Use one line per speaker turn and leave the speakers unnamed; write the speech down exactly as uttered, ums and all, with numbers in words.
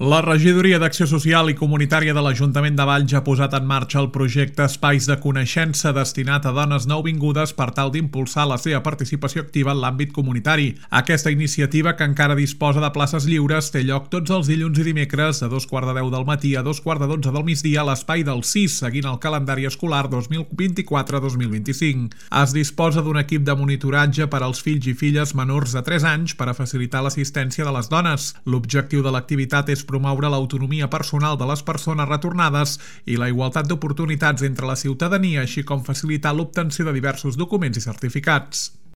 La Regidoria d'Acció Social i Comunitària de l'Ajuntament de Valls ha posat en marxa el projecte Espais de Coneixença destinat a dones nouvingudes per tal d'impulsar la seva participació activa en l'àmbit comunitari. Aquesta iniciativa, que encara disposa de places lliures, té lloc tots els dilluns i dimecres de dos quarts de deu del matí a dos quarts de dotze del migdia a l'Espai del C I S, seguint el calendari escolar dos mil vint-i-quatre dos mil vint-i-cinc. Es disposa d'un equip de monitoratge per als fills i filles menors de tres anys per a facilitar l'assistència de les dones. L'objectiu de l'activitat és promoure l'autonomia personal de les persones retornades i la igualtat d'oportunitats entre la ciutadania, així com facilitar l'obtenció de diversos documents i certificats.